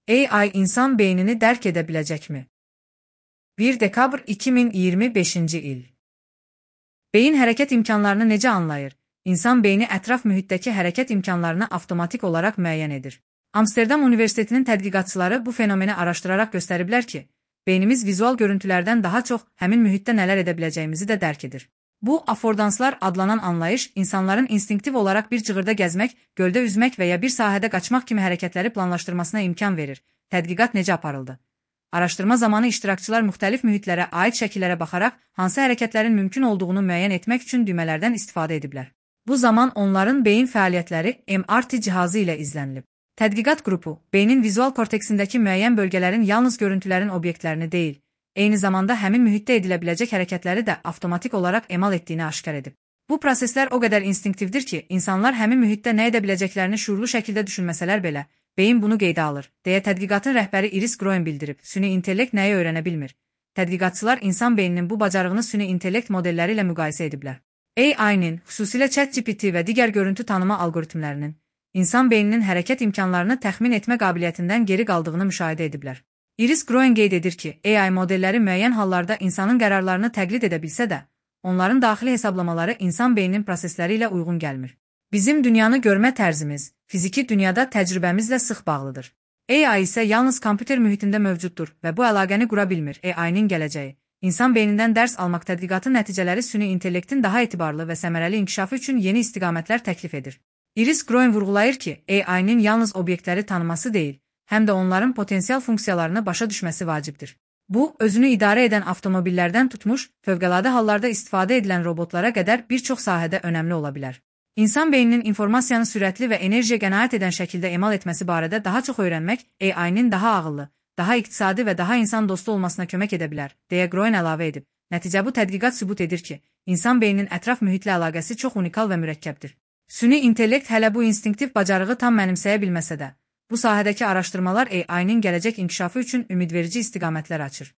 AI insan beynini dərk edə biləcəkmi? 1 dekabr 2025-ci il. Beyin hərəkət imkanlarını necə anlayır? İnsan beyni ətraf mühitdəki hərəkət imkanlarını avtomatik olaraq müəyyən edir. Amsterdam Universitetinin tədqiqatçıları bu fenomeni araşdıraraq göstəriblər ki, beynimiz vizual görüntülərdən daha çox həmin mühitdə nələr edə biləcəyimizi də dərk edir. Bu, affordanslar adlanan anlayış, insanların instinktiv olaraq bir cığırda gəzmək, göldə üzmək və ya bir sahədə qaçmaq kimi hərəkətləri planlaşdırmasına imkan verir. Tədqiqat necə aparıldı? Araşdırma zamanı iştirakçılar müxtəlif mühitlərə aid şəkillərə baxaraq, hansı hərəkətlərin mümkün olduğunu müəyyən etmək üçün düymələrdən istifadə ediblər. Bu zaman onların beyin fəaliyyətləri MRT cihazı ilə izlənilib. Tədqiqat qrupu, beynin vizual korteksindəki müəyyən bölgələrin yalnız görüntülərin obyektlərini deyil, eyni zamanda həmin mühitdə edilə biləcək hərəkətləri də avtomatik olaraq emal etdiyini aşkar edib. Bu proseslər o qədər instinktivdir ki, insanlar həmin mühitdə nə edə biləcəklərini şuurlu şəkildə düşünməsələr belə, beyin bunu qeydə alır, deyə tədqiqatın rəhbəri Iris Groen bildirib. Süni intellekt nəyi öyrənə bilmir? Tədqiqatçılar insan beyninin bu bacarığını süni intellekt modelləri ilə müqayisə ediblər. AI-nin, xüsusilə ChatGPT və digər görüntü tanıma algoritmlərinin, insan beyninin hərəkət imkanlarını təxmin etmə qabiliyyətindən geri qaldığını müşahidə ediblər. Iris Groen qeyd edir ki, AI modelləri müəyyən hallarda insanın qərarlarını təqlid edə bilsə də, onların daxili hesablamaları insan beyninin prosesləri ilə uyğun gəlmir. Bizim dünyanı görmə tərzimiz, fiziki dünyada təcrübəmizlə sıx bağlıdır. AI isə yalnız kompüter mühitində mövcuddur və bu əlaqəni qura bilmir. AI-nin gələcəyi, insan beynindən dərs almaq tədqiqatı nəticələri süni intellektin daha etibarlı və səmərəli inkişafı üçün yeni istiqamətlər təklif edir. Iris Groen vurğulayır ki, AI-nin yalnız obyektləri tanıması deyil, həm də onların potensial funksiyalarını başa düşməsi vacibdir. Bu, özünü idarə edən avtomobillərdən tutmuş, fövqəladə hallarda istifadə edilən robotlara qədər bir çox sahədə önəmli ola bilər. İnsan beyninin informasiyanı sürətli və enerjiyə qənaət edən şəkildə emal etməsi barədə daha çox öyrənmək, AI-nin daha ağıllı, daha iqtisadi və daha insan dostu olmasına kömək edə bilər, deyə Groen əlavə edib. Nəticə bu tədqiqat sübut edir ki, insan beyninin ətraf mühitlə əlaqəsi çox unikal və mürəkkəbdir. Süni intellekt hələ bu instinktiv bacarığı tam mənimsəyə bilməsə də, bu sahədəki araşdırmalar AI-nin gələcək inkişafı üçün ümidverici istiqamətlər açır.